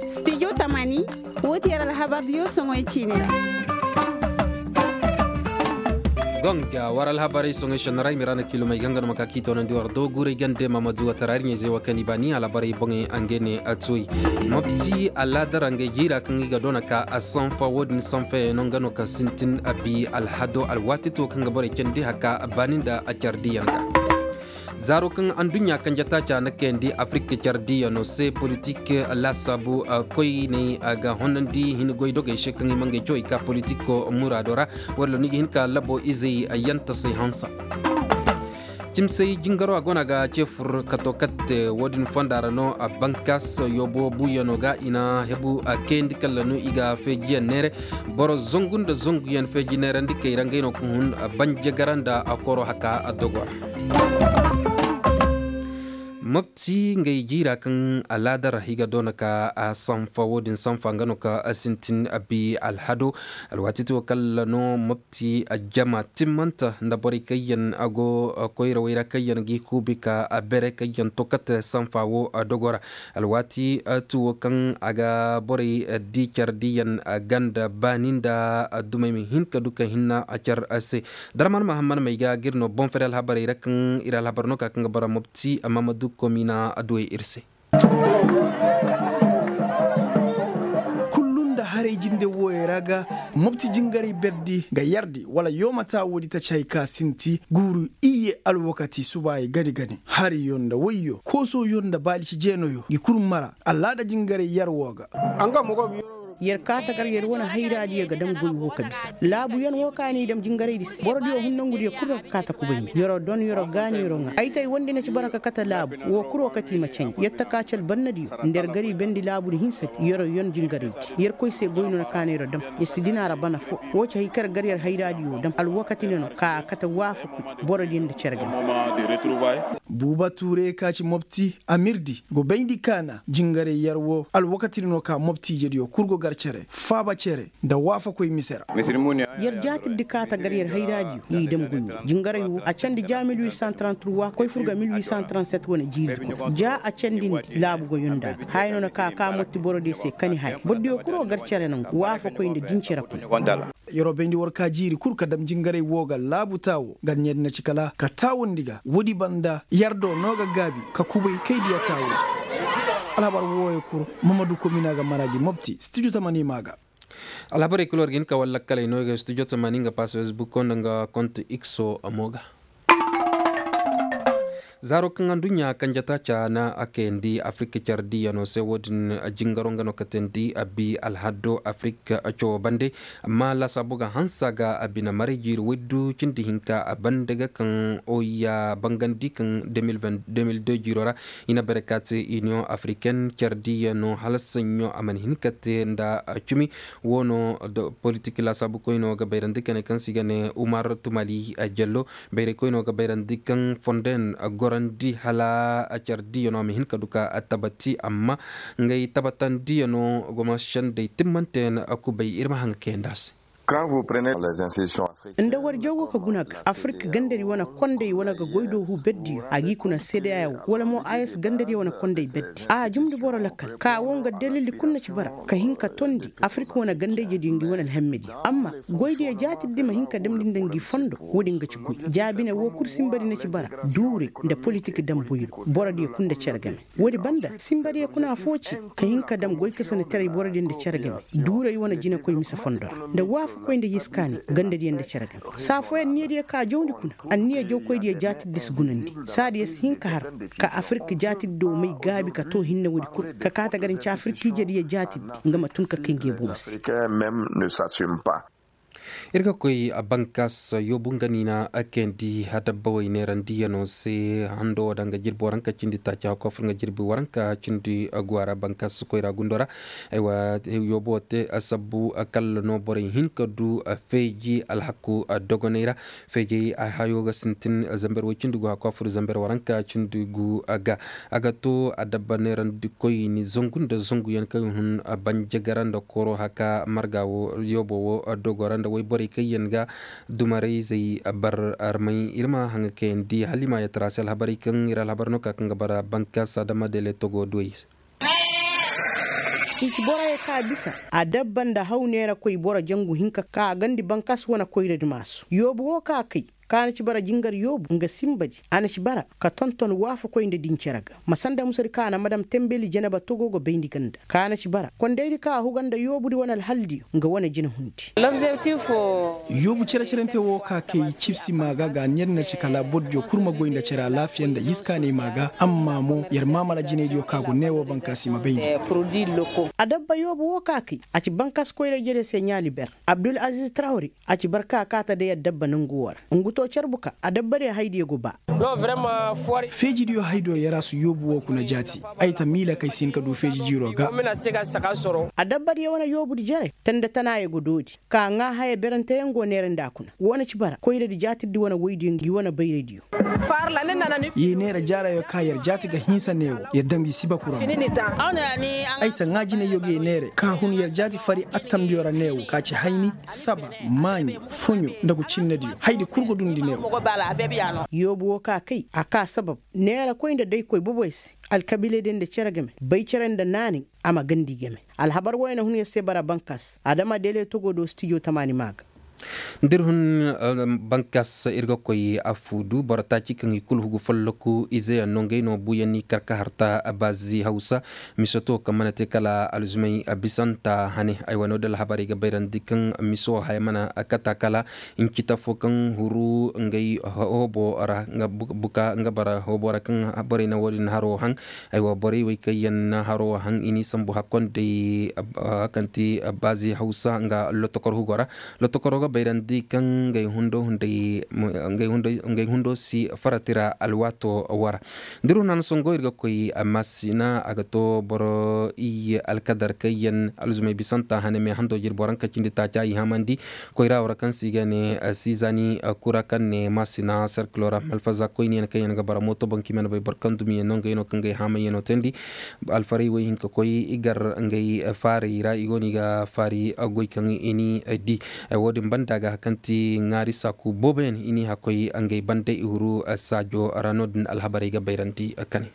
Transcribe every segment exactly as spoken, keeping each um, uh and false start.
Studio tamani, wo ti yer alhabardiyo soŋoy ciini ra. Gonga war alhabarey soŋoy senna ra i ma ra na kilomey ga nga no ma ka k'i toonandi war do guuray gande mamadu watara ir ɲayzey wo kaŋ i baani alhabarey boŋey. Nga ne a tuwey mopti alaada ra ngey jiira kaŋ i ga doona ka a sanfa wo-din sanfayaŋ no nga no kaŋ sintin a bi alhado alwaati to kaŋ ga borey candi haka baani nda a care diiyaŋ ga. Zaaro kaŋ anduɲɲa kanje taaca na kayandi afirik care diiyano se politik laasaabu koyney ga honandi hin goy dogey se kaŋ i ma ngey cawey ka politiko muraado ra. Wala no ni ga hin ka labo izey yantasey hansa. Cimsey jingaro a go no a ga ce fur kato katte wo-din fonda ra no a bankas yoobo buuyano ga i na hebu a kayandi kala no i ga feejiyaŋ neere. Boro zangu nda zanguyaŋ feeji neerandi kay ra ngey no ga hun. Banjagara nda a koro haka a dogo ra. Mopti ngey jiira kaŋ alaada ra i ga doona ka a sanfa wo-din sanfa nga no ka a sintin a bi alhado. Alwaati to kala no mopti a jama timmanta nda borey kaŋ yaŋ a go koyrawey ra kaŋ yaŋ g'i kuubi ka a bere kaŋ yaŋ to kate sanfa wo a dogo ra. Alwaati tuwo kaŋ a ga borey di care diiyaŋ ganda baani nda dumey ma hin ka du ka hinna a care se. Darman mahamman may ga ga ir no boŋ fari alhabarey ra kaŋ ir alhabar no ka kaŋ ga bara mopti amma ma du komina adduwey ir se. Kullu nda haray jinde wooyey ra ga mopti jingaray berdi ga yardi wala yooma taa woodi taci hay ka sinti guuru iyye alwakati subaayey gani gani hariyo nda woyyo koosoyo nda baalici jeenoyo ngi kul mara. Allaada jingaray yar woo ga. Yer kaata gar yer wane hayraadiyo ga dam goy woo ka bisa laabuyan woo ka n'i dam jingaraydi se borodiyo hun nongudiyo kul ra ga kaata kubay me yer'o don yer'o gaani yer'o ŋaa ay tay wondi na ci bara ka kate laabu woo kul woo kate i ma canji yer taka ci albannadiyo nda yer gar i bendi laabudi hinsadi yer'o yon jingaraydi. Yer koy se goy no na kaana yer'o dam yer si dina ra bana foo. Woo ci hay kaŋ yer gar yer hayraadiyo dam alwakati ne no ka a kate waafaku borodiyo nda cere game. Buuba tuure ka ci mopti amirdi go bayndi kaana jingaray yar woo alwakati ne no ka mopti ijediyo kul go gar cere faaba cere nda waafakoy mise ra. Yer jaatirdi kaata gar yer hayraadiyo i dam goy woo jingaray woo a candi ja mil huit cent trente-trois koy fur ga mil huit cent trente-sept wane jiiridi kuna ja a candindi laabu goyonda ga haya no na ka ka motti borodiyo se kani haya borodiyo kul go gar cere nangu waafakoy nda dincere kuna. Yer'o bayndi war ka jiiri kul ka dam jingaray woo ga laabu taawo gar ɲeedi na ci kala ka taawandi ga woodi banda yar do no ga gaabi ka kubay kay diya taawandi. Alhabar wooyo kul mamadu komina ga mara gi mopti studio tamani ma ga. Alhabarey kul war ga hin ka war lakkaley no ga studio tamani nga pass facebook nda nga kont ikso mo ga. Zaaro kaŋ aduɲɲa kanje taaca na a kayandi afirik care diiyano se woo din jingaro nga no katandi a bi alhado afirik cawo bande. Amma laasaabu ga hanse a ga a bine maray jiiri woy du cindi hinka a bande ga kaŋ oya bangandi kaŋ deux mille deux jiiro ra. I na bare ka te iniyoŋ afiriken care diiyano hala saɲɲo a mana hin ka te nda cumi. Woo no politik laasaabukoyno ga bayrandi ka ne kaŋ se i ga ne umar tumali jello. Bayraykoyno ga bayrandi kaŋ fondo yaŋ gorandi hala care diiyano a ma hin ka du ka tabati amma ngey tabatandiyano goma sendey timmante yaŋ kubay ir ma haŋ ga kayandi a se. Nda war jaw go ka guna ga afirik gandadi wane kondey wane ga goy do hu berdiyo a g'i kuna sedeya wo wala mo a s gandadiyo wane kondey berdi a jumndi boro lakkal ka wo nga dalildi kul na ci bara ka hin ka tondi afirik wane gandayjediyo ngi wane alhammediyo amma goydiyo jaatirdi ma hin ka damndi nda ngi fondo woodin ga ci goy jaabine wo kul sinbadi na ci bara duuray nda politik damboyro borodiyo kul nda cere game. Woodi banda sinbadiyo kuna foo ci ka hin ka dam goy ka sanda taray borodiyo nda cere game duuray wane jinekoy mise fondo ra nda waafakoy nda hiskaani gandadiyo nda cere game saa fooyaŋ niyadiyo ka jawndi kuna anniya jawkoydiyo jaatirdi si gunandi saadiyo si hin ka har ka afirik jaatirdi do may gaabi ka too hinne woodi kul ka kaate gar nci afirik ijediyo jaatirdi nga ma tun ka kay nge boŋo se. Ir ga koy bankas yoobu nga ni na kayandi adabbawey neerandiyano se hando wo danga jirbi waranka cindi taaci hakko fur nga jirbi waranka cindi guwa ra bankas koyra gundo ra. Aywa yoobu wo te sabbu kalla no borey hin ka du feeji alhaku dogoney ra. Feejey hayo ga sintin zamber way cindi gu hakko fur zamber waranka cindi gu ga a ga to adabba neerandi koyni zangu nda zanguyaŋ kaŋ hun banjagara nda koro haka marga wo yoobo wo dogo ra nda borey kaŋ yaŋ ga dumarayzey bar armay ir ma haŋa kayandi hala i ma yatara se alhabarey kaŋ ir alhabar no ka kaŋ ga bara bankaasa dama dele togo duwey se. I ci boro ye ka bisa a dabba nda haw neera koy boro jangu hinka ka a gandi bankaasa wane koyra di maasu yoobu wo ka a kay. Ka na ci bara jingar yoobu nga simbadi a na ci bara ka tonton waafakoy nda din cere ga ma sanda musadi ka na madam tembeli janaba togo ga bayndi ganda ka na ci bara kondaydi ka a huga nda yoobudi wane alhaldiyo nga wane jina hundi. Yoobu cere-cerante wo ka kay cibsi maa ga ga neer na ci kala bordiyo kul ma goy nda cere alaafiya nda yiskaaney maa ga amma mo yer maamala jinaydiyo ka go neewo bankaasi ma bayndi. Adabba yoobu wo ka kay a ci bankaasi koyra jere se ɲaali ber abdul aziz trawri. A ci barka kaata day adabba nangu wo ra ngu to carbu ka adabba day haydiyo go ba. Feejidiyo haydo yarasu yoobu wo kuna jaati. Ay ta miila kay si hin ka du feeji jiiro ga. Adabba diyo wane yoobudi jere tanda tanaayo go doodi ka ŋaa haya beranteyaŋ go neera nda a kuna wo na ci bara koyradi jaatirdi wane woydiyo ngi wane bayradiyo. Ye neera jaarayo ka yer jaati ga hinsa neewo yer dam gi sibaku ra. Ay ta ŋaa jinayyo ga ye neere ka hun yer jaati fari attamdiyo ra neewo ka ci hayni saba maaɲe foɲo nda gu cinnediyo haydi kul go dundi neewo. Yoobu wo ka kay a ka sabab neera koy nda daykoy boboy se alkabiiley day nda cere game bay cere nda naanay. A ma gandi game alhabar woy na hun yer se bara bankas adama deele togo do stijo tamaani maa ga. Nda ir hun bankas ir ga koy afuudu boro taaci kaŋ i kul hugu folloku izeyaŋ no ngey no buuyaŋ ni kar ka harta baazi hawsa. Misoto kaŋ mana te kala alzumay bisanta hane ay wane wo da alhabarey ga bayrandi kaŋ miso haya mana kata kala. Incita fo kaŋ huru ngey hoobo ra buka nga bara hoobo ra kaŋ borey na wo- din haro haŋ. Ay wa borey wey kaŋ yaŋ na haro haŋ i n'i sambu hakkonday kaŋ ti baazi hawsa nga lotokor hugo ra. Lotokoro ga bayrandi kaŋ ngey hundo si farati ra alwaato wara. Da ir hun hana songo ir ga koy maasina a ga to boro iyye alkadar kaŋ yaŋ alzumay bisanta hane me hando jir boro haŋ ka cindi taaca i hamandi. Koyra wara kaŋ se i ga ne siizani kura kaŋ ne maasina serkilo ra malfaza koyniyaŋ kaŋ yaŋ ga bara mooto boŋ kaŋ i mana bay boro kaŋ dumiyaŋ no ngey no kaŋ ga ay haamayaŋo teendi. Alfarey wey hin ka koy i gar ngey faarey ra i go no i ga faari goy kaŋ i ni di. Wo- din banda ga kaŋ ti ŋaari saaku booboyaŋ i n'i hakkoy ngey banda i huru saajo ra no- din alhabarey ga bayrandi kane.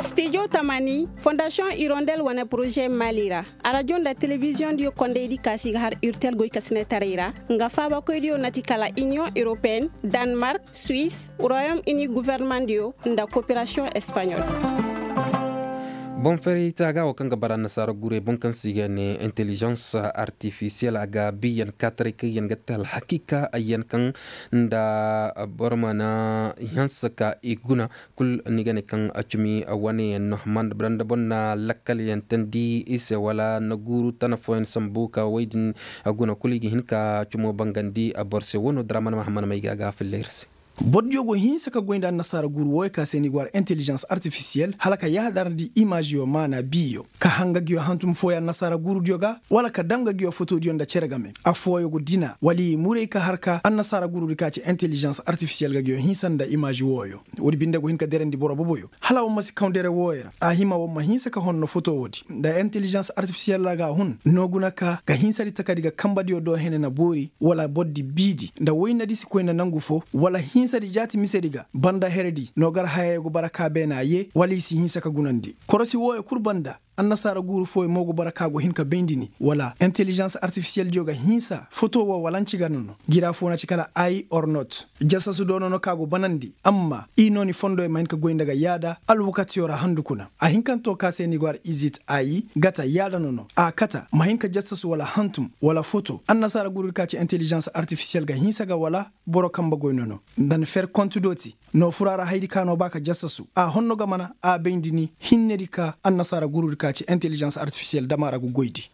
Stijo tamani fondasiyoŋ irondel wane poroze mali ra. Arajo nda telebiziyoŋ diyo kondaydi ka si ga har urtel goy ka sinetaray ra. Nga faabakoydiyo na ti kala iniyoŋ europeen, danmark, suis, royom ini guvernemandiyo nda koperasiyoŋ espaɲol. Boŋ feray taaga wo kaŋ ga bara annasaara gurey boŋ kaŋ se i ga ne intelijans artifisiyel a ga biyaŋ kaataray kaŋ yaŋ ga te alhakiika yaŋ kaŋ nda boro mana hanse ka i guna. Kul ni ga ne kaŋ cumi wane yaŋ no ma nda boro nda boro na lakkal yaŋ teendi i se wala na guuru tana fooyaŋ sambu ka wey din guna kul i ga hin ka cumo bangandi boro se wo no dira mana mahammad may ga a ga a filla ir se. Bordiyo go hinsa ka goy nda annasaara guuru wooyo ka se ni go har intelijans artifisiyel hala ka yaadarandi imaaziyo maana biyo ka hanga giyo hantum fooyaŋ annasaara guurudiyo ga wala ka dam ga giyo fotodiyo nda cere game. Affooyo go dina wala i muray ka har ka annasaara guurudi ka ci intelijans artifisiyel ga giyo hinsa nda imaazi wooyo. Woodi binde go hin ka derandi boro boboyo hala wa ma si kaw dere wooyo ra a hima wa ma hinsa ka honno foto woodi nda intelijans artifisiyel ra ga a hun no guna ka ga hinsadi takadi ga kambadiyo do hene na boori wala bordi biidi nda woynadi si koy nda nangu fo wala hinsadi jaati misedi ga banda heredi no gar hayey go bara ka beena ye wala i si hinsa ka gunandi korosi wooyo kul banda. Annasaara guuru fooyo mo go bara ka go hin ka bayndi ni wala intelijans artifisiyel diyo ga hinsa foto wo wala nci ga nono. Gira fo na ci kala ay or not jasasu do nono ka go banandi amma i no ni fondo ya ma hin ka goy nda ga yaada alwakatiyo ra handu kuna a hinkanto ka se ni go har izit ayi gata yaada nono a kata ma hin ka jasasu wala hantum wala foto annasaara guuru di ka ci intelijans artifisiyel ga hinsa ga wala boro kamba goy nono nda ni fer kontu do ti. No fura ra haydi ka no ba ka jasasu a honno ga mana a bayndi ni hinnedi ka annasaara guurudi ka ci intelijans artifisiyel dama ra ga goydi.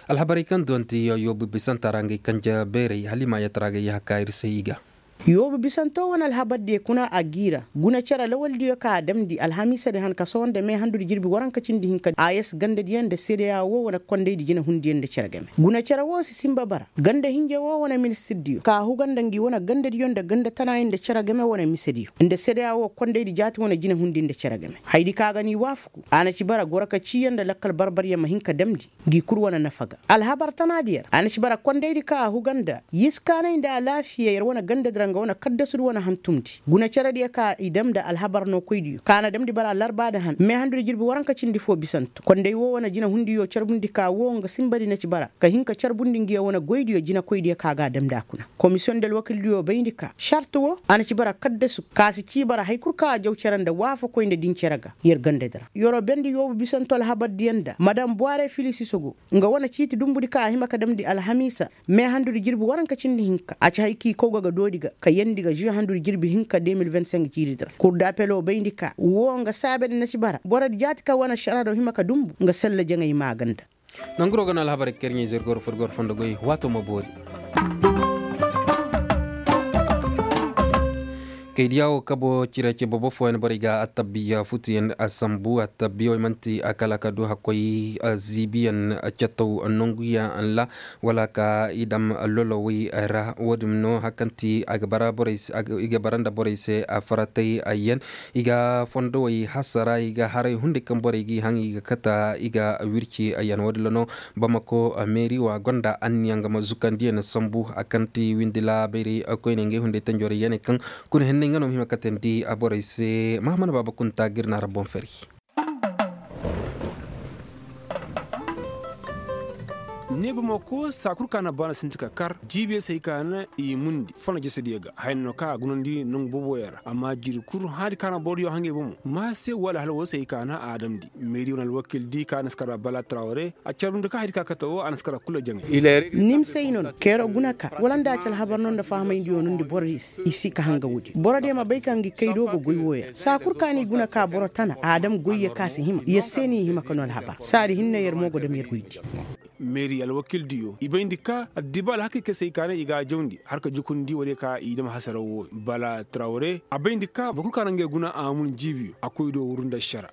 Alhabarey kaŋ duwanti yoobu bisanta ra ngey kanja beerey hala i ma yatara ga yaha ka ir se i ga. Yoobu bisanto wane alhabardiyo kuna a g'i ra. Guna cere lawaldiyo ka a damndi alhamiisadi han ka sohõ nda mee handudi jirbi waranka cindi hinka a yee se gandadiyo nda sedeya woo wane kondaydi jinahundiyo nda cere game. Guna cere woo si sinba bara ganda hinja woo wane ministirdiyo ka a huga nda ngi wane gandadiyo nda ganda tanayo nda cere game wane misediyo nda sedeya woo kondaydi jaati wane jinahundiyo nda cere game. Hayadi ka ga n'i waafaku a na ci bara goro ka ciiyaŋ nda lakkal barbaryaŋ ma hin ka damndi. Ngi kul wane nafa ga alhabar tanaadi yer a na ci bara kondaydi ka a huga nda yiskaanay nda alaafiya yer wane gandadi ra nga wane kaddasudi wane hantumndi guna cerediyo ka i dam nda alhabar nookoydiyo ka na damndi bara larbaadi han meehandudi jirbi waranka cindi foo bisanto konday woo wane jinahundiyo carbundi ka woo nga sinbadi na ci bara ka hin ka carbundi ngiyo wane goydiyo jinakoydiyo ka ga a damndi a kuna. Komisiyoŋ nda alwakildiyo bayndi ka sarti woo a na ci bara kaddasu ka si cii bara hari kul ka a jaw cere nda waafakoy nda din cere ga yer gandadi ra yeroo bendi yoobu bisanto alhabardiyo nda madam buware filisiso go nga wane ciiti dumbudi ka a hima ka damndi alhamiisa meehandudi jirbi waranka cindi hinka a ci hari k'i kow ga ga doodi ga ka yeendi ga žuwe handudi jirbi hinka de mil vingt cinq ciiridi ra kurdapeloo bayndi ka woo nga saabedi na ci bara borodi jaati ka wane ašaraado hima ka dumbu nga sella jaŋay maaganda. Nanguroo ga no alhabarey kaŋ ir ɲaa ize ir goro fur ir goro fondo goy waatoo ma boori. Kaydiya woo kabo cire ce bobo fooyaŋ borey ga attabbiya futuyaŋ a sambu attabbiya wey man'ti a kala ka du hakkoy ziibiyaŋ cataw nanguyaŋ ra wala ka i dam lolowey ra wo-din no hari kaŋ ti a ga bara nda borey se a faratay yaŋ. I ga fondowey hasara i ga haray hunday kaŋ borey g'i haŋ i ga kata i ga wirci yaŋ wo-din ra no bamako meeri wo a gonda anniya nga ma zukandi yaŋ sambu a kaŋ ti windi laabayray koyne ngey hunday tanjorey yaŋ kaŋ kuna henney nga no ma hima katandi borey se mahamana baaba kunta ga ir na ra boŋ fari. Ne bamako saa kul ka na baana sinti ka kar jiibiyo se hay ka na i mundi fana jesediyo ga haya no kaŋ a gunandi nangu booboyo ra amma jiiri kul haadi ka na borodiyo haŋ i bomo ma se wala hala woo se hay ka na a damndi meeri wane alwakildi ka na si kar bala tarawre a carbundi ka haadi ka kate woo a na si kar kul jaŋay. Ni ma se ay no no keero guna ka wala nda a ci alhabar no nda fahamayndiyo no nda borodiyo se i si ka hanga woodi borodiyo ma bay ka ngi kaydo ga goy wooyo ra saa kul ka n'i guna ka boro tana a dam goyyo ka si hima yer se n'i hima ka no alhabar saadi hinne yer mo go dam yer goydi. Meeri alwakildiyo i bayndi ka addiba alhakey kaŋ se i kaanay i ga a jawndi har ka jukundi woodiyo ka i dam hasara wooyo bala tarawre a bayndi ka boro kul ka na ngey guna a mun jiibiyo a koy do wuru nda ašara.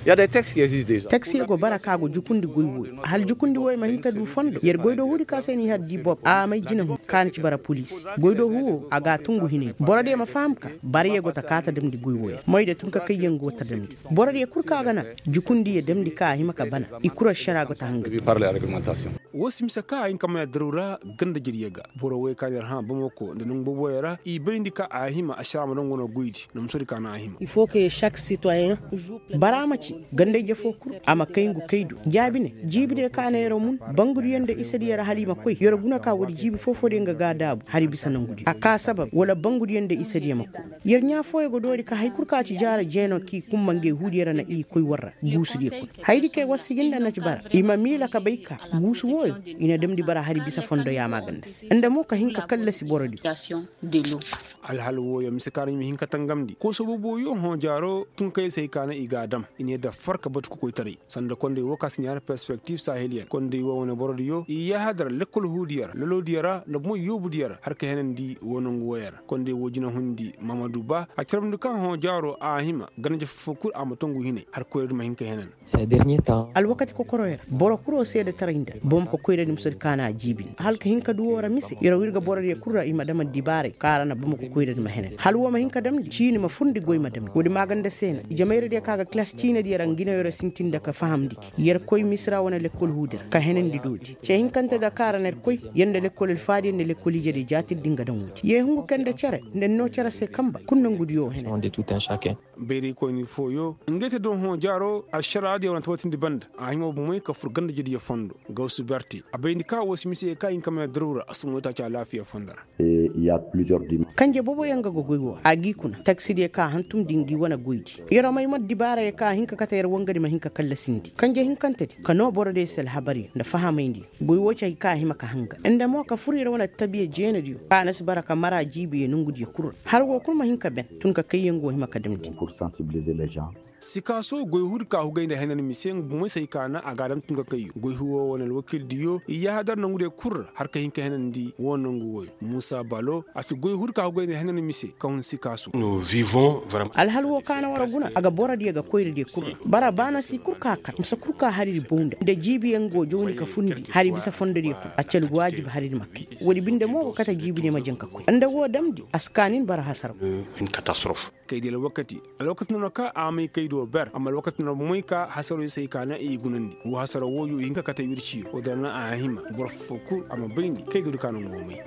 Taksiyo go bara ka go jukundi goy wooyo hala jukundi wooyo ma hin ka du fondo yer goy do huudi ka se n'i har di bob a may jinahun ka na ci bara poliisi goy do huwo a ga a tungu hinay borodiyo ma faham ka barayey go ta ka ta damndi goy wooyo ra moyda tun ka kayyaŋ go ta damndi borodiyo kul ka ga naŋ jukundiyo damndi ka a hima ka bana i kul ašara go ta hanga. Woo si mise ka a hin ka may addaru ra ganda jediyo ga boro wey ka na yer hã bamako nda nangu booboyo ra i bayndi ka a hima ašara ma daŋ wane goydi na musodi ka na a hima. Bara ma ci ganda-ije foo kul a ma kay ngu kay do jaabi ne jiibi ne ka na yer mun bangudiyo nda isediyo ra hala i ma koy yer guna ka woodi jiibi foo-foodiyo nga ga a daabu hari bisa nangudiyo a ka sabab wala bangudiyo nda isediyo ma koy yer ɲaa fooyo ga doori ka hari kul ka ci jaara jeeno k'i kumma ngey huudiyo ra na i koy war ra guusudiyo kul hayadi kay war sijin nda na ci bara i ma miila ka bay ka guusu wooyo i na damndi bara hari bisa fondo yaamaaganda se nda mo ka hin ka kallasi borodiyo. Alhal wooyo mise ka no i ma hin ka tangamndi kooso boobooyo hõ jaaro tun ka yee se hay ka no i ga a dam i ne da far ka batu kokoytaray sanda kondey woo ka si ne har perspektif saheliyen kondey woo wane borodiyo i yaahadar lekkol huudiyo ra lolowdiyo ra nda bomo yoobudiyo ra har ka henandi woo nangu wooyo ra kondey woo jinahundi mahamadu ba a carbundi ka hõ jaaro a hima ganda-ije foo-foo kul a ma tongu hinay har koyradi ma hin ka henan. Alwakati kokoroyo ra boro kul woo seedetaray nda bamako koyradi musadi ka na a jiibi nda hala ka hin ka du woo ra mise yer woo ir ga borodiyo kul ra i ma dam addibaaray kaŋ a ra na bamako koyradi ma henandi hala woo ma hin ka damndi ciini ma furndi goy ma damndi woodi maaganda se no ijemayradiyo kaŋ a ga kilas ciinadiyo ra ngi no yer woo sintin nda ka fahamndi gi yer koy misira wane lekkol huudi ra ka henandi doodi ce hinkante da kaŋ a ra na yer koy yer nda lekkol alfaadiyo nda lekkol ijediyo jaatirdi nga daŋ woodi yee hungu kay nda cere nda ni noo cere se kamba kul nongudiyo woo henandi. Bayraykoyni fooyo ngey te do hõ jaaro ašaraadiyo wane tabatindi banda a hima bomey ka fur ganda-ijediyo fondo gawsu berte a bayndi ka woo si mise ka hin ka may addaru ra a si tun waytaaci alaafiya fondo ra. Kanje booboyaŋ ga ga goy woo ra a g'i kuna taksidiyo ka hantumndi ngi wane goydi yer may ma addibaarayo ka hin ka kate yer wangadi ma hin ka kallasindi kanje hinkantedi ka noo borodiyo se alhabaryo nda fahamayndi goy woo ci hay ka a hima ka hanga nda mo ka fur yer wane attabiya jeenadiyo ka a na si bara ka mara jiibiyo nongudiyo kul ra har woo kul ma hin ka ben tun ka kayyaŋ go hima ka damndi. Sikaaso goy huri ka hugay nda henan mise nga bumey se ay kaana a ga a dam tun ka kayyo goy huri wo wane alwakildiyo i yaahadar nangu diyo kul ra har ka hin ka henandi wo nangu wooyo muusa balo a ci goy huri ka hugay nda henan mise ka hun sikaaso. Alhal wo kaana war guna a ga borodiyo ga koyradiyo kul ra bara baana si kul ka kar mise kul ka hariri bow nda nda jiibiyaŋ go jawndi ka fundi hari bisa fondodiyo kul a ci alwaajib hariri ma kay. Woodi binde mo go kate jiibidiyo ma jaŋ ka koy nda woo damndi a si kaa nin bara hasaraw. Kaydi alwakati alwakati no na ka a may kaydo ber amma alwakati no na bomey ka hasaro i se ay ka na i gunandi wo hasaro wooyo i hin ka kate wirciyo wo dira na a hima boro foo kul a ma bayndi kaydo di ka no nga wo may.